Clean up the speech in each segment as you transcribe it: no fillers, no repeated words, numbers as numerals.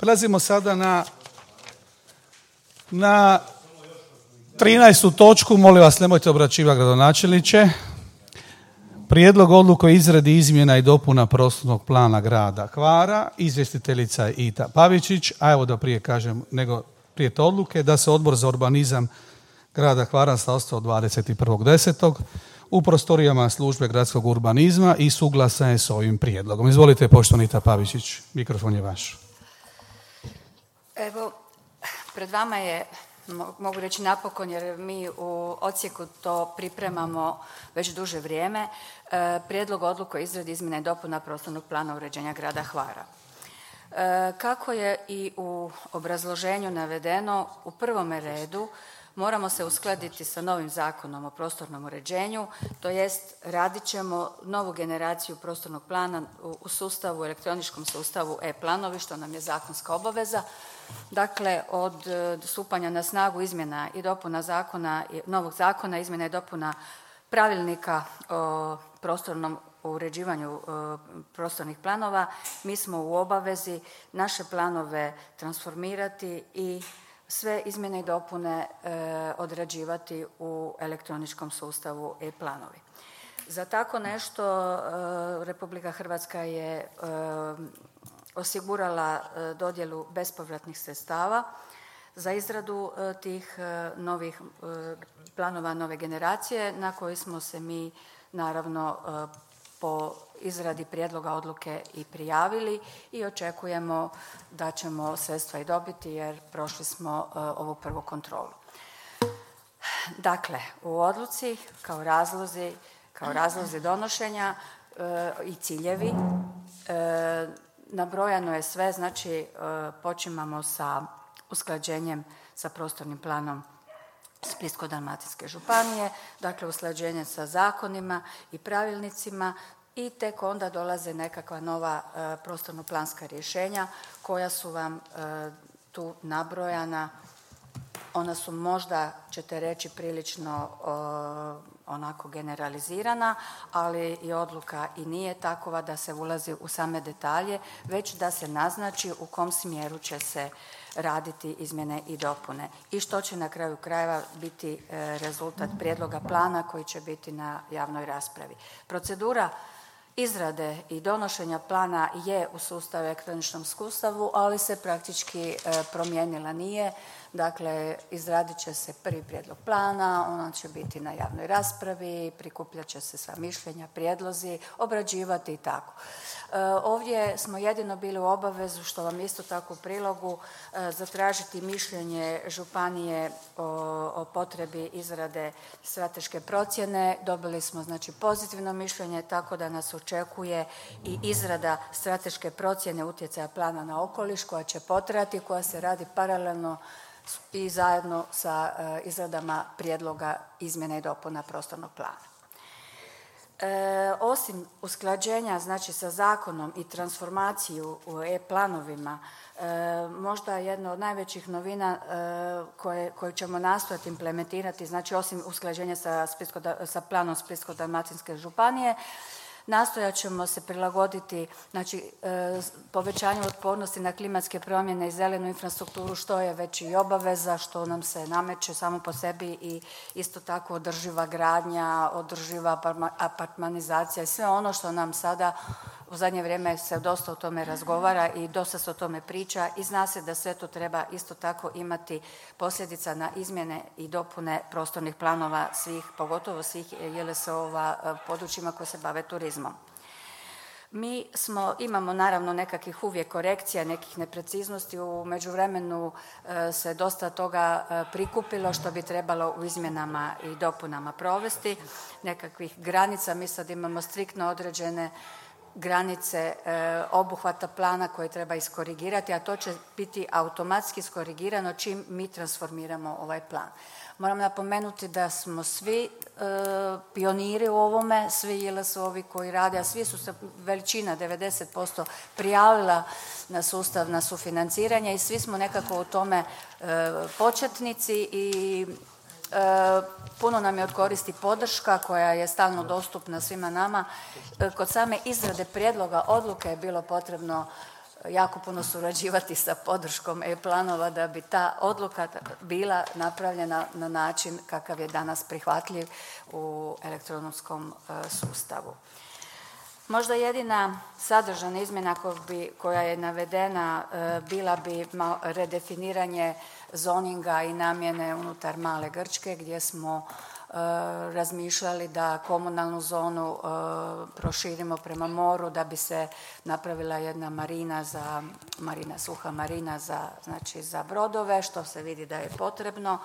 Prelazimo sada na 13. točku. Molim vas, nemojte obraćivati gradonačelniče. Prijedlog odluke o izradi izmjena i dopuna prostornog plana grada Hvara. Izvjestiteljica Ita Pavičić. A evo da prije kažem, prije te odluke, da se Odbor za urbanizam grada Hvara sastao 21.10. u prostorijama službe gradskog urbanizma i suglasan je s ovim prijedlogom. Izvolite, poštovana Ita Pavičić, mikrofon je vaš. Evo, pred vama je, mogu reći napokon, jer mi u odsjeku to pripremamo već duže vrijeme, prijedlog odluke o izradi izmjena i dopuna prostornog plana uređenja grada Hvara. Kako je i u obrazloženju navedeno, u prvome redu moramo se uskladiti sa novim Zakonom o prostornom uređenju, to jest radit ćemo novu generaciju prostornog plana u sustavu, elektroničkom sustavu e-planovi, što nam je zakonska obaveza. Dakle, od stupanja na snagu izmjena i dopuna novog zakona, izmjena i dopuna pravilnika o prostornom uređivanju prostornih planova, mi smo u obavezi naše planove transformirati i sve izmjene i dopune odrađivati u elektroničkom sustavu e-planovi. Za tako nešto Republika Hrvatska je osigurala dodjelu bespovratnih sredstava za izradu tih novih planova nove generacije, na koji smo se mi naravno po izradi prijedloga odluke i prijavili i očekujemo da ćemo sredstva i dobiti, jer prošli smo ovu prvu kontrolu. Dakle, u odluci kao razlozi donošenja i ciljevi nabrojano je sve, znači počimamo sa usklađenjem sa prostornim planom Splitsko-dalmatinske županije, dakle usklađenje sa zakonima i pravilnicima, i tek onda dolaze nekakva nova prostorno-planska rješenja koja su vam tu nabrojana. Ona su možda, ćete reći, prilično onako generalizirana, ali i odluka i nije takova da se ulazi u same detalje, već da se naznači u kom smjeru će se raditi izmjene i dopune i što će na kraju krajeva biti rezultat prijedloga plana koji će biti na javnoj raspravi. Procedura izrade i donošenja plana je u sustavu, elektroničnom sustavu, ali se praktički promijenila nije. Dakle, izradit će se prvi prijedlog plana, on će biti na javnoj raspravi, prikupljat će se sva mišljenja, prijedlozi, obrađivati i tako. Ovdje smo jedino bili u obavezu, što vam isto tako u prilogu, zatražiti mišljenje županije o potrebi izrade strateške procjene. Dobili smo znači pozitivno mišljenje, tako da nas očekuje i izrada strateške procjene utjecaja plana na okoliš koja će potrajati, koja se radi paralelno i zajedno sa izradama prijedloga izmjena i dopuna prostornog plana. Osim usklađenja znači sa zakonom i transformaciju u e-planovima, možda jedna od najvećih novina koju ćemo nastojati implementirati, znači osim usklađenja sa planom Splitsko-dalmatinske županije, nastojat ćemo se prilagoditi znači, povećanju otpornosti na klimatske promjene i zelenu infrastrukturu, što je već i obaveza, što nam se nameće samo po sebi, i isto tako održiva gradnja, održiva apartmanizacija i sve ono što nam sada u zadnje vrijeme se dosta o tome razgovara i dosta se o tome priča, i zna se da sve to treba isto tako imati posljedica na izmjene i dopune prostornih planova svih, pogotovo svih JLS-ova područjima koje se bave turizmom. Mi imamo naravno nekakvih uvijek korekcija, nekih nepreciznosti, u međuvremenu se dosta toga prikupilo što bi trebalo u izmjenama i dopunama provesti, nekakvih granica. Mi sad imamo striktno određene granice obuhvata plana koje treba iskorigirati, a to će biti automatski iskorigirano čim mi transformiramo ovaj plan. Moram napomenuti da smo svi pioniri u ovome, svi JLS-ovi koji rade, a svi su se, veličina 90% prijavila na sustav, na sufinanciranje, i svi smo nekako u tome početnici, i puno nam je od koristi podrška koja je stalno dostupna svima nama. Kod same izrade prijedloga odluke je bilo potrebno jako puno surađivati sa podrškom e-planova da bi ta odluka bila napravljena na način kakav je danas prihvatljiv u elektronskom sustavu. Možda jedina sadržajna izmjena koja je navedena bila bi redefiniranje zoninga i namjene unutar Male Grčke gdje smo razmišljali da komunalnu zonu proširimo prema moru da bi se napravila jedna suha marina za brodove, što se vidi da je potrebno.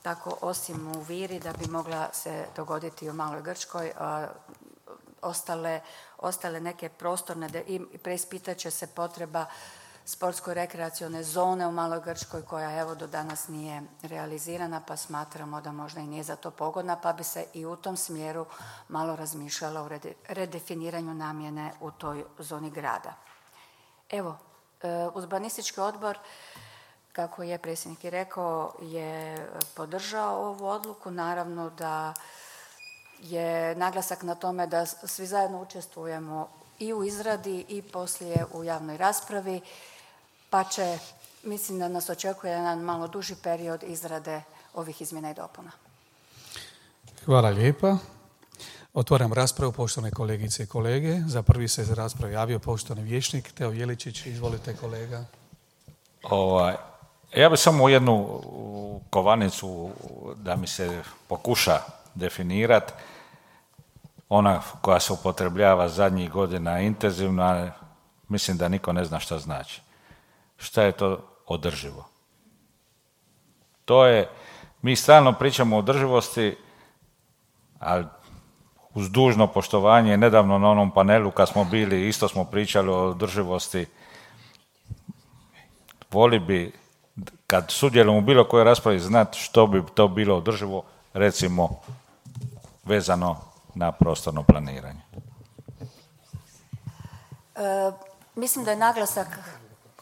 Tako osim u Viri da bi mogla se dogoditi u Maloj Grčkoj, ostale neke prostorne i preispitat će se potreba sportsko-rekreacione zone u Maloj Grčkoj koja evo do danas nije realizirana pa smatramo da možda i nije za to pogodna pa bi se i u tom smjeru malo razmišljalo o redefiniranju namjene u toj zoni grada. Evo, urbanistički odbor, kako je predsjednik i rekao, je podržao ovu odluku. Naravno da je naglasak na tome da svi zajedno učestvujemo i u izradi i poslije u javnoj raspravi, pa će, mislim da nas očekuje jedan malo duži period izrade ovih izmjena i dopuna. Hvala lijepa. Otvaram raspravu, poštovane kolegice i kolege. Za prvi se za raspravu javio poštovani vijećnik Teo Jeličić. Izvolite kolega. Ja bih samo jednu kovanicu da mi se pokuša definirati. Ona koja se upotrebljava zadnjih godina intenzivno, a mislim da niko ne zna šta znači. Šta je to održivo? To je, mi stalno pričamo o održivosti, ali uz dužno poštovanje, nedavno na onom panelu kad smo bili, isto smo pričali o održivosti. Voli bi, kad sudjelujemo u bilo kojoj raspravi, znati što bi to bilo održivo, recimo vezano na prostorno planiranje. Mislim da je naglasak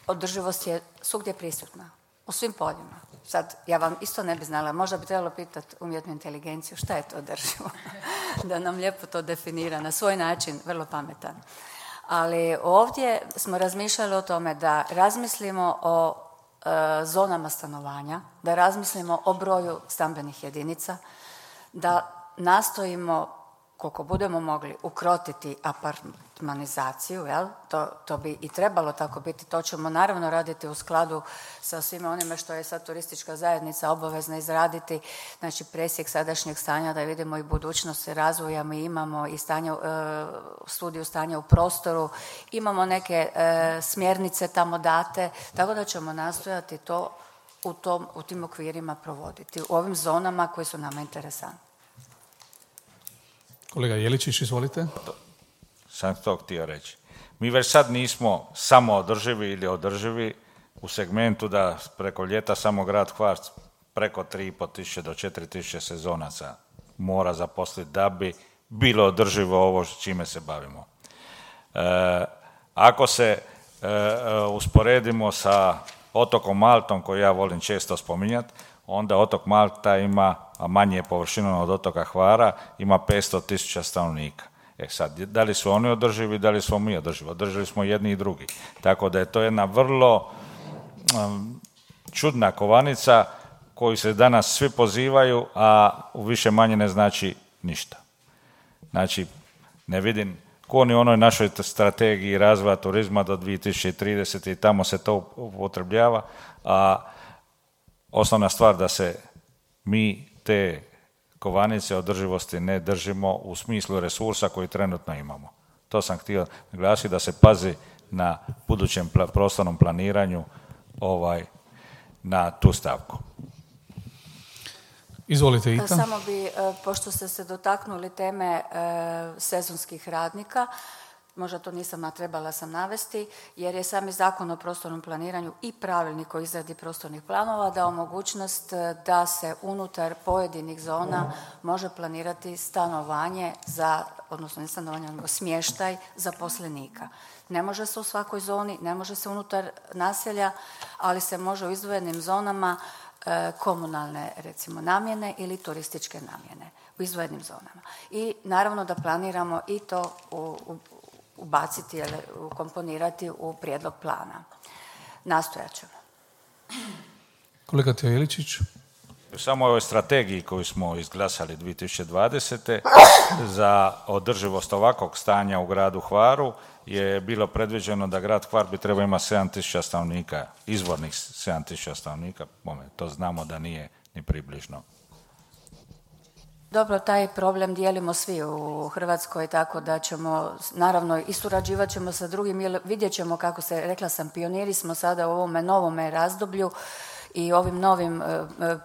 održivost je svugdje prisutna, u svim poljima. Sad, ja vam isto ne bi znala, možda bi trebalo pitati umjetnu inteligenciju šta je to održivo, da nam lijepo to definira na svoj način, vrlo pametan. Ali ovdje smo razmišljali o tome da razmislimo o zonama stanovanja, da razmislimo o broju stambenih jedinica, da nastojimo koliko budemo mogli ukrotiti apartmanizaciju, jel? To bi i trebalo tako biti, to ćemo naravno raditi u skladu sa svime onime što je sad turistička zajednica obavezna izraditi, znači presjek sadašnjeg stanja da vidimo i budućnost razvoja, mi imamo i studiju stanja u prostoru, imamo neke smjernice tamo date, tako da ćemo nastojati to u tim okvirima provoditi, u ovim zonama koje su nama interesantne. Kolega Jeličić, izvolite. Sam to htio reći. Mi već sad nismo samo održivi ili održivi u segmentu da preko ljeta samo grad Hvar preko 3.500 do 4.000 sezonaca mora zaposliti da bi bilo održivo ovo čime se bavimo. Ako se usporedimo sa otokom Maltom, koji ja volim često spominjati, onda otok Malta ima, a manje je površinom od otoka Hvara, ima 500.000 stanovnika. Sad, da li su oni održivi, da li smo mi održivi? Održivi smo jedni i drugi. Tako da je to jedna vrlo čudna kovanica koju se danas svi pozivaju, a u više manje ne znači ništa. Znači, ne vidim ko ni onoj našoj strategiji razvoja turizma do 2030. i tamo se to upotrebljava, a osnovna stvar da se mi te kovanice održivosti ne držimo u smislu resursa koji trenutno imamo. To sam htio naglasiti, da se pazi na budućem prostornom planiranju na tu stavku. Izvolite, Ita. Samo bi, pošto ste se dotaknuli teme sezonskih radnika, možda to nisam, a trebala sam navesti, jer je sami Zakon o prostornom planiranju i pravilnik o izradi prostornih planova dao mogućnost da se unutar pojedinih zona može planirati stanovanje odnosno ne stanovanje, nego smještaj zaposlenika. Ne može se u svakoj zoni, ne može se unutar naselja, ali se može u izdvojenim zonama komunalne, recimo, namjene ili turističke namjene u izdvojenim zonama. I naravno da planiramo i to ubaciti ili ukomponirati u prijedlog plana. Nastojat ćemo. Kolega Teo Iličić. Samo o ovoj strategiji koju smo izglasali 2020. za održivost ovakvog stanja u gradu Hvaru je bilo predviđeno da grad Hvar bi trebao imati 7.000 stanovnika, izvornih 7.000 stanovnika. To znamo da nije ni približno. Dobro, taj problem dijelimo svi u Hrvatskoj, tako da ćemo naravno i surađivat ćemo sa drugim, jer vidjet ćemo kako se, rekla sam, pioniri smo sada u ovome novome razdoblju i ovim novim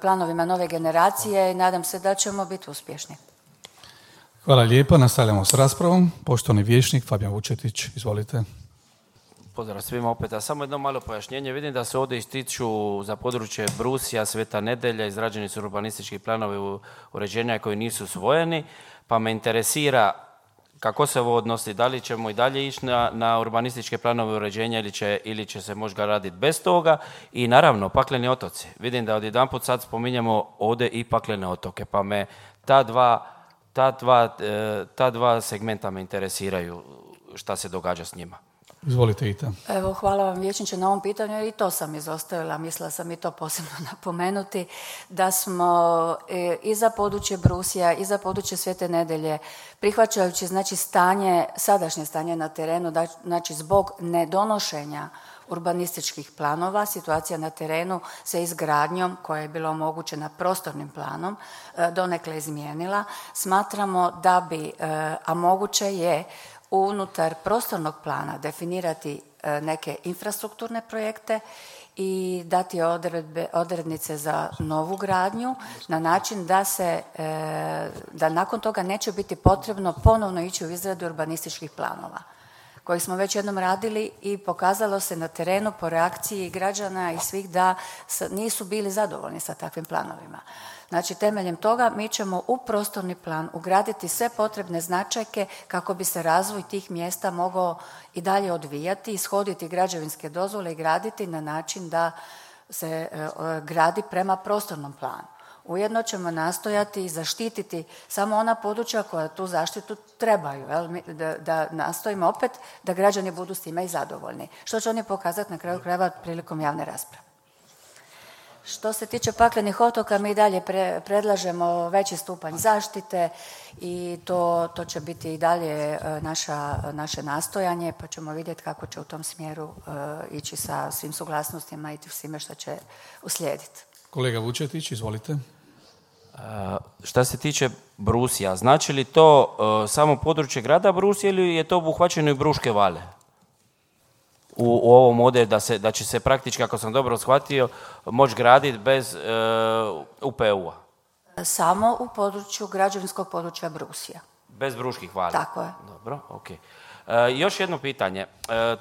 planovima nove generacije i nadam se da ćemo biti uspješni. Hvala lijepa, nastavljamo s raspravom. Poštovani vijećnik Fabijan Vučetić, izvolite. Pozdrav svima opet, a samo jedno malo pojašnjenje. Vidim da se ovdje ističu za područje Brusija, Sveta Nedelja, izrađeni su urbanistički planovi uređenja koji nisu usvojeni, pa me interesira kako se ovo odnosi, da li ćemo i dalje ići na urbanističke planove uređenja ili će se možda raditi bez toga. I naravno, pakleni otoci. Vidim da odjedanput sad spominjemo ovdje i paklene otoke, pa me ta dva segmenta me interesiraju šta se događa s njima. Izvolite, Ita. Evo, hvala vam vijećniče na ovom pitanju i to sam izostavila, mislila sam i to posebno napomenuti, da smo i za područje Brusija i za područje Svete Nedelje, prihvaćajući znači sadašnje stanje na terenu, znači zbog nedonošenja urbanističkih planova, situacija na terenu se izgradnjom koja je bila omogućena prostornim planom donekle izmijenila. Smatramo da bi, a moguće je, unutar prostornog plana definirati neke infrastrukturne projekte i dati odrednice za novu gradnju na način da nakon toga neće biti potrebno ponovno ići u izradu urbanističkih planova koji smo već jednom radili i pokazalo se na terenu po reakciji građana i svih da nisu bili zadovoljni sa takvim planovima. Znači, temeljem toga mi ćemo u prostorni plan ugraditi sve potrebne značajke kako bi se razvoj tih mjesta mogao i dalje odvijati, ishoditi građevinske dozvole i graditi na način da se gradi prema prostornom planu. Ujedno ćemo nastojati i zaštititi samo ona područja koja tu zaštitu trebaju, da nastojimo opet da građani budu s time i zadovoljni, što će oni pokazati na kraju krajeva prilikom javne rasprave. Što se tiče paklenih otoka, mi dalje predlažemo veći stupanj zaštite i to će biti i dalje naše nastojanje, pa ćemo vidjeti kako će u tom smjeru ići sa svim suglasnostima i svime što će uslijediti. Kolega Vučetić, izvolite. Šta se tiče Brusija, znači li to samo područje grada Brusija ili je to obuhvaćeno i Bruške vale? U ovom ovdje da će se praktički, ako sam dobro shvatio, moći graditi bez UPU-a. Samo u području građevinskog područja Brusija. Bez Bruških vala. Tako je. Dobro, ok. Još jedno pitanje.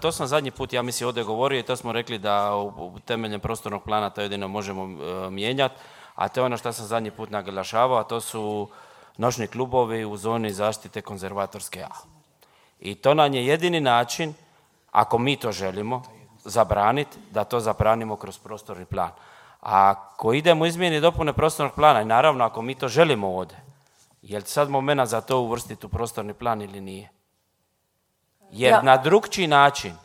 To sam zadnji put, ja mislim, ovdje govorio i to smo rekli da u temeljem prostornog plana to jedino možemo mijenjati, a to je ono što sam zadnji put naglašavao, a to su noćni klubovi u zoni zaštite konzervatorske A. I to nam je jedini način, ako mi to želimo zabraniti, da to zabranimo kroz prostorni plan. A ako idemo izmjeni i dopune prostornog plana, i naravno ako mi to želimo ovdje, je li sad moment za to uvrstiti u prostorni plan ili nije? Jer na drugčiji način,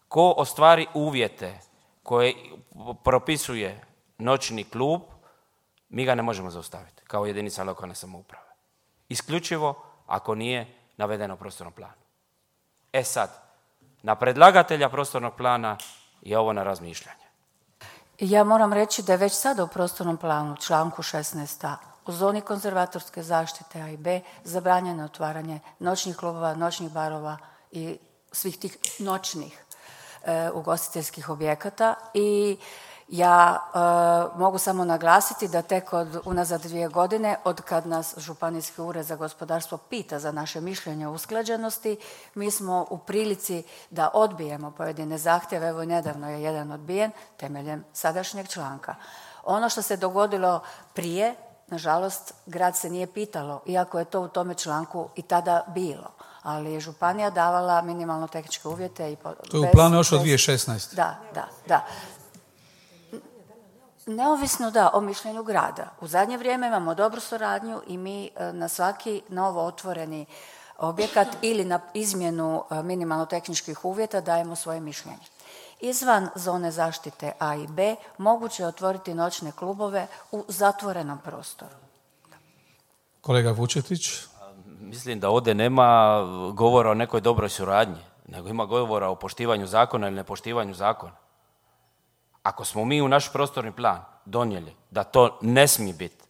ko ostvari uvjete koje propisuje noćni klub, mi ga ne možemo zaustaviti kao jedinica lokalne samouprave. Isključivo ako nije navedeno u prostornom planu. E sad, na predlagatelja prostornog plana je ovo na razmišljanje. Ja moram reći da je već sada u prostornom planu, članku 16a, u zoni konzervatorske zaštite A i B zabranjeno otvaranje noćnih klubova, noćnih barova i svih tih noćnih ugostiteljskih objekata i ja mogu samo naglasiti da tek unazad 2 godine, od kad nas Županijski ured za gospodarstvo pita za naše mišljenje o usklađenosti, mi smo u prilici da odbijemo pojedine zahtjeve. Evo, nedavno je jedan odbijen temeljem sadašnjeg članka. Ono što se dogodilo prije, nažalost, grad se nije pitalo, iako je to u tome članku i tada bilo. Ali je županija davala minimalno tehničke uvjete. To je u planu još od 2016. Da. Neovisno o mišljenju grada. U zadnje vrijeme imamo dobru suradnju i mi na svaki novo otvoreni objekat ili na izmjenu minimalno tehničkih uvjeta dajemo svoje mišljenje. Izvan zone zaštite A i B moguće je otvoriti noćne klubove u zatvorenom prostoru. Kolega Vučetić. Mislim da ovdje nema govora o nekoj dobroj suradnji, nego ima govora o poštivanju zakona ili nepoštivanju zakona. Ako smo mi u naš prostorni plan donijeli da to ne smije biti,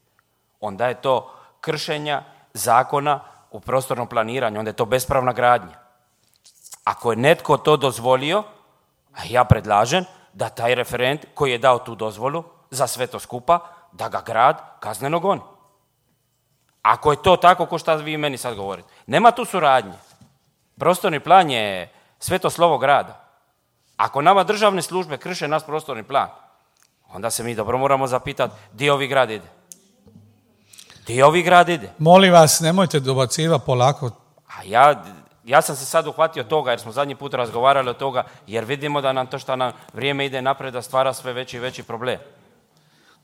onda je to kršenja zakona u prostornom planiranju, onda je to bespravna gradnja. Ako je netko to dozvolio, a ja predlažem da taj referent koji je dao tu dozvolu za sve to skupa, da ga grad kazneno goni. Ako je to tako ko što vi meni sad govorite. Nema tu suradnje. Prostorni plan je sveto slovo grada. Ako nama državne službe krše naš prostorni plan, onda se mi dobro moramo zapitati gdje ovi grad ide. Gdje ovi grad ide? Molim vas, nemojte dobacivati polako. A ja sam se sad uhvatio toga jer smo zadnji put razgovarali o toga jer vidimo da nam to što nam vrijeme ide naprijed da stvara sve veći i veći problem.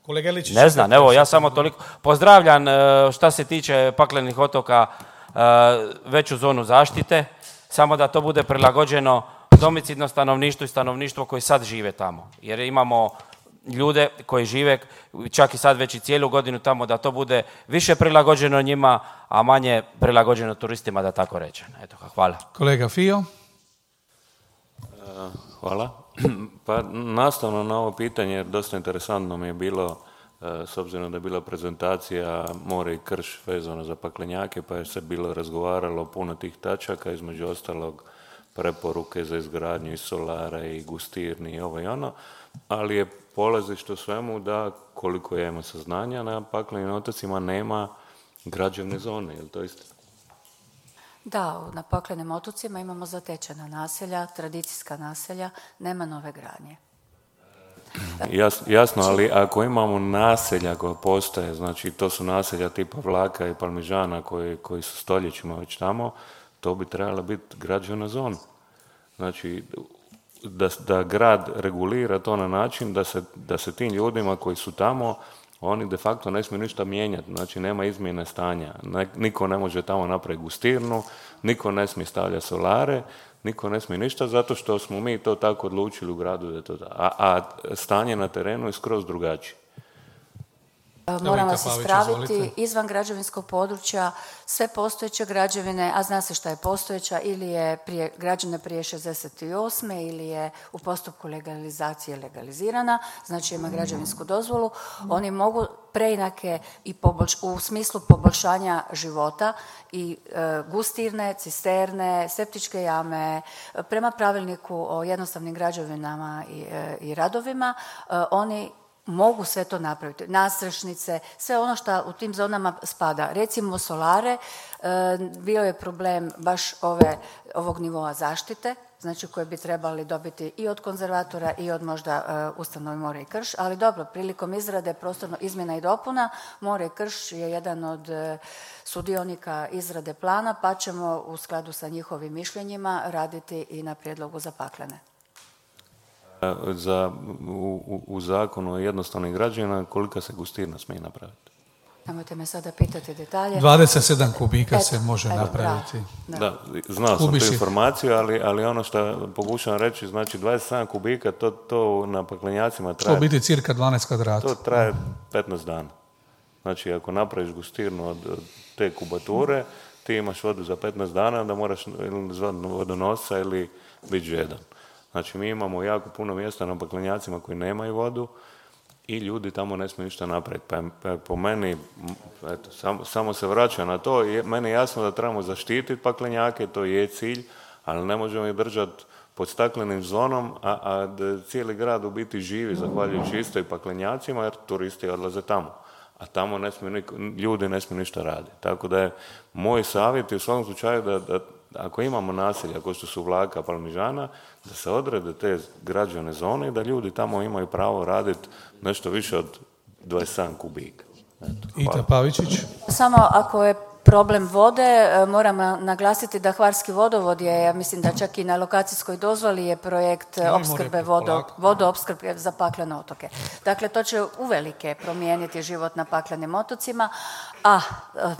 Kolega Iličić, ne znam, evo ja samo toliko. Pozdravljam šta se tiče paklenih otoka veću zonu zaštite, samo da to bude prilagođeno domicidno stanovništvu i stanovništvo koji sad žive tamo. Jer imamo ljude koji žive čak i sad već i cijelu godinu tamo, da to bude više prilagođeno njima, a manje prilagođeno turistima, da tako rečem. Eto, hvala. Kolega Fio. Hvala. Pa nastavno na ovo pitanje, dosta interesantno mi je bilo, s obzirom da je bila prezentacija More i krš vezano za paklenjake, pa je se bilo razgovaralo puno tih tačaka, između ostalog preporuke za izgradnju i solara i gustirni i ovo i ono, ali je polazište u svemu da, koliko ja imam saznanja, na paklenim otocima nema građevne zone, je li to istina? Da, na paklenim otocima imamo zatečena naselja, tradicijska naselja, nema nove gradnje. Jasno, ali ako imamo naselja koja postoje, znači to su naselja tipa Vlaka i Palmižana koji su stoljećima već tamo, to bi trebala biti građevna zona. Znači, da grad regulira to na način da se tim ljudima koji su tamo, oni de facto ne smiju ništa mijenjati, znači nema izmjene stanja. Niko ne može tamo napraviti gustirnu, niko ne smije stavljati solare, niko ne smije ništa zato što smo mi to tako odlučili u gradu da je to a stanje na terenu je skroz drugačije. Moram vas ispraviti, izvan građevinskog područja sve postojeće građevine, a zna se šta je postojeća, ili je građena prije 68. ili je u postupku legalizacije legalizirana, znači ima građevinsku dozvolu, oni mogu preinake i u smislu poboljšanja života i gustirne, cisterne, septičke jame, prema pravilniku o jednostavnim građevinama i radovima, oni mogu sve to napraviti. Nastrešnice, sve ono što u tim zonama spada. Recimo solare, bio je problem baš ovog nivoa zaštite, znači koje bi trebali dobiti i od konzervatora i od možda ustanove More i krš, ali dobro, prilikom izrade prostorno izmjena i dopuna, More i krš je jedan od sudionika izrade plana, pa ćemo u skladu sa njihovim mišljenjima raditi i na prijedlogu za paklene. U zakonu o jednostavnim građevinama kolika se gustirna smije napraviti? Nemojte me sada pitati detalje. 27 kubika se može napraviti. Da, znao sam tu informaciju, ali ono što pokušavam reći, znači 27 kubika, to na paklenjacima traje... To biti cirka 12 kvadrata. To traje 15 dana. Znači, ako napraviš gustirnu od te kubature, ti imaš vodu za 15 dana, onda moraš ili zvati vodonosa ili biti žedan. Znači, mi imamo jako puno mjesta na paklenjacima koji nemaju vodu i ljudi tamo ne smiju ništa napraviti. Pa po meni, eto, samo se vraća na to. Meni je jasno da trebamo zaštititi paklenjake, to je cilj, ali ne možemo ih držati pod staklenim zonom, a da cijeli grad u biti živi zahvaljujući istoj paklenjacima, jer turisti odlaze tamo. A tamo ljudi ne smiju ništa raditi. Tako da je moj savjet u svakom slučaju da ako imamo naselja kao što su Vlaka, Palmižana, da se odrede te građevne zone i da ljudi tamo imaju pravo raditi nešto više od 27 kubika. Ita Pavičić. Samo ako je problem vode. Moram naglasiti da Hvarski vodovod je, ja mislim da čak i na lokacijskoj dozvoli je projekt opskrbe vodoopskrbe za paklene otoke. Dakle, to će uvelike promijeniti život na paklenim otocima, a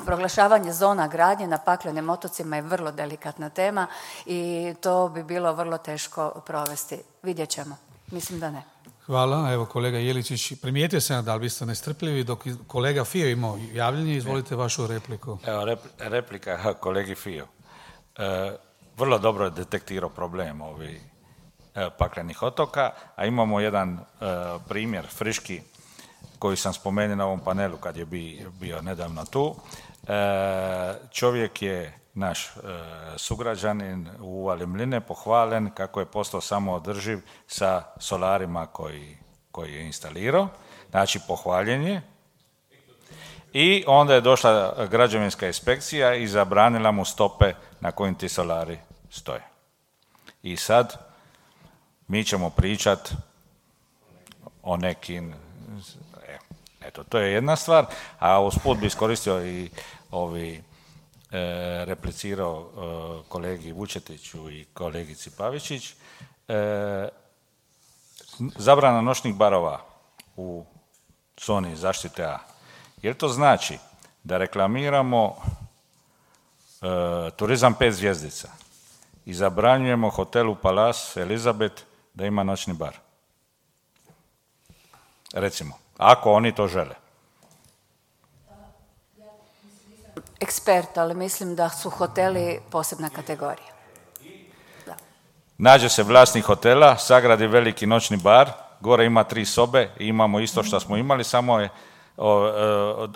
proglašavanje zona gradnje na paklenim otocima je vrlo delikatna tema i to bi bilo vrlo teško provesti. Vidjet ćemo. Mislim da ne. Hvala. Evo kolega Jeličić, primijetio sam da li biste nestrpljivi dok kolega Fio imao javljanje. Izvolite vašu repliku. Evo replika kolegi Fio. Vrlo dobro je detektirao problem ovih paklenih otoka, a imamo jedan primjer friški koji sam spomenuo na ovom panelu kad je bio nedavno tu. Čovjek je naš sugrađanin u Uvali Mline pohvalen kako je postao samoodrživ sa solarima koji je instalirao. Znači, pohvaljen je. I onda je došla građevinska inspekcija i zabranila mu stope na kojim ti solari stoje. I sad mi ćemo pričat o nekim... Eto, to je jedna stvar, a usput bi iskoristio i replicirao kolegi Vučetiću i kolegici Pavičić. Zabrana noćnih barova u zoni zaštite A. Jer to znači da reklamiramo turizam 5 zvjezdica i zabranjujemo hotelu Palace Elizabeth da ima noćni bar. Recimo, ako oni to žele. Ekspert, ali mislim da su hoteli posebna kategorija. Da. Nađe se vlasnik hotela, sagradi veliki noćni bar, gore ima 3 sobe i imamo isto što smo imali, samo je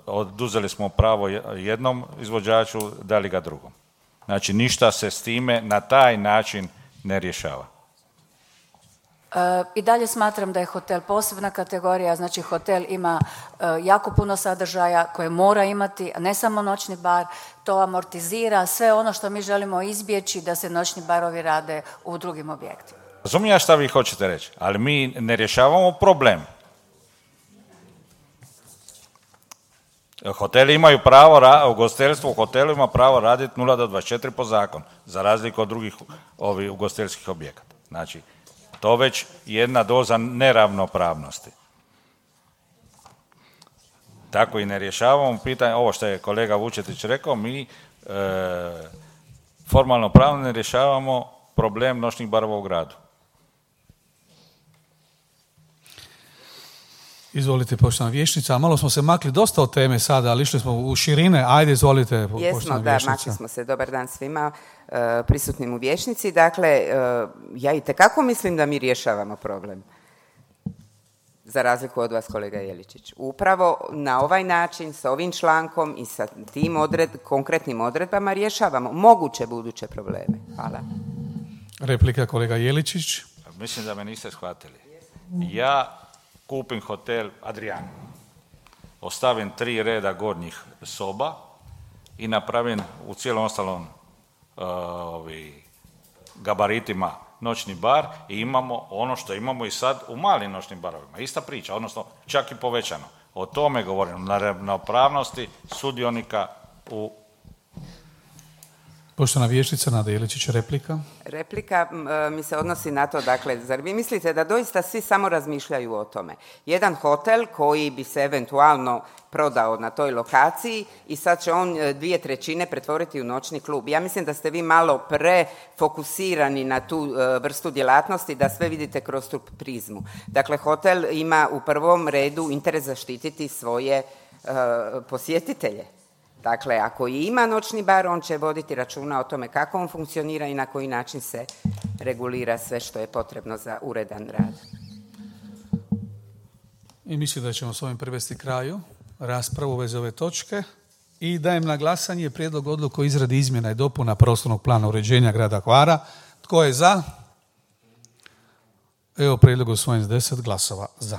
oduzeli smo pravo jednom izvođaču, dali ga drugom. Znači, ništa se s time na taj način ne rješava. I dalje smatram da je hotel posebna kategorija, znači hotel ima jako puno sadržaja koje mora imati, a ne samo noćni bar, to amortizira sve ono što mi želimo izbjeći da se noćni barovi rade u drugim objektima. Razumijem šta vi hoćete reći, ali mi ne rješavamo problem. Hoteli imaju pravo, ugostiteljstvo u hotelu ima pravo raditi 0 do 24 po zakonu, za razliku od drugih ugostiteljskih objekata. Znači, to već jedna doza neravnopravnosti. Tako i ne rješavamo pitanje, ovo što je kolega Vučetić rekao, mi formalno pravno ne rješavamo problem noćnih barova u gradu. Izvolite, poštovana vijećnica. Malo smo se makli dosta od teme sada, ali išli smo u širine. Ajde, izvolite, poštovana vijećnica. Jesmo, makli smo se. Dobar dan svima prisutnim u vijećnici. Dakle, ja itekako mislim da mi rješavamo problem. Za razliku od vas, kolega Jeličić. Upravo na ovaj način, sa ovim člankom i sa tim konkretnim odredbama rješavamo moguće buduće probleme. Hvala. Replika, kolega Jeličić. Mislim da me niste shvatili. Ja kupim hotel Adrian, ostavim 3 reda gornjih soba i napravim u cijelom ostalom gabaritima noćni bar i imamo ono što imamo i sad u malim noćnim barovima. Ista priča, odnosno čak i povećano. O tome govorim, na ravnopravnosti sudionika u... Poštovana vijećnica Nada Jeličić, replika. Replika mi se odnosi na to, dakle, zar vi mislite da doista svi samo razmišljaju o tome? Jedan hotel koji bi se eventualno prodao na toj lokaciji i sad će on 2/3 pretvoriti u noćni klub. Ja mislim da ste vi malo prefokusirani na tu vrstu djelatnosti, da sve vidite kroz tu prizmu. Dakle, hotel ima u prvom redu interes zaštititi svoje posjetitelje. Dakle, ako i ima noćni bar, on će voditi računa o tome kako on funkcionira i na koji način se regulira sve što je potrebno za uredan rad. I mislim da ćemo s ovim privesti kraju raspravu u vezi ove točke. I dajem na glasanje prijedlog odluke o izradi izmjena i dopuna prostornog plana uređenja grada Hvara. Tko je za? Evo prijedlog usvojen s 10 glasova za.